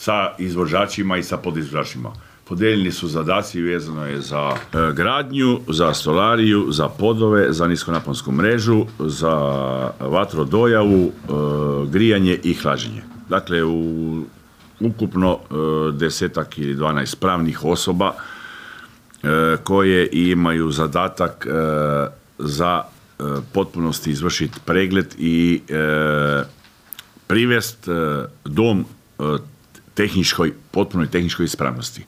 sa izvođačima i sa podizvođačima. Podijeljeni su zadaci, vezano je za gradnju, za stolariju, za podove, za niskonaponsku mrežu, za vatrodojavu, grijanje i hlađenje. Dakle, u ukupno 10 ili 12 pravnih osoba koje imaju zadatak za potpunosti izvršiti pregled i privest dom potpunoj tehničkoj ispravnosti.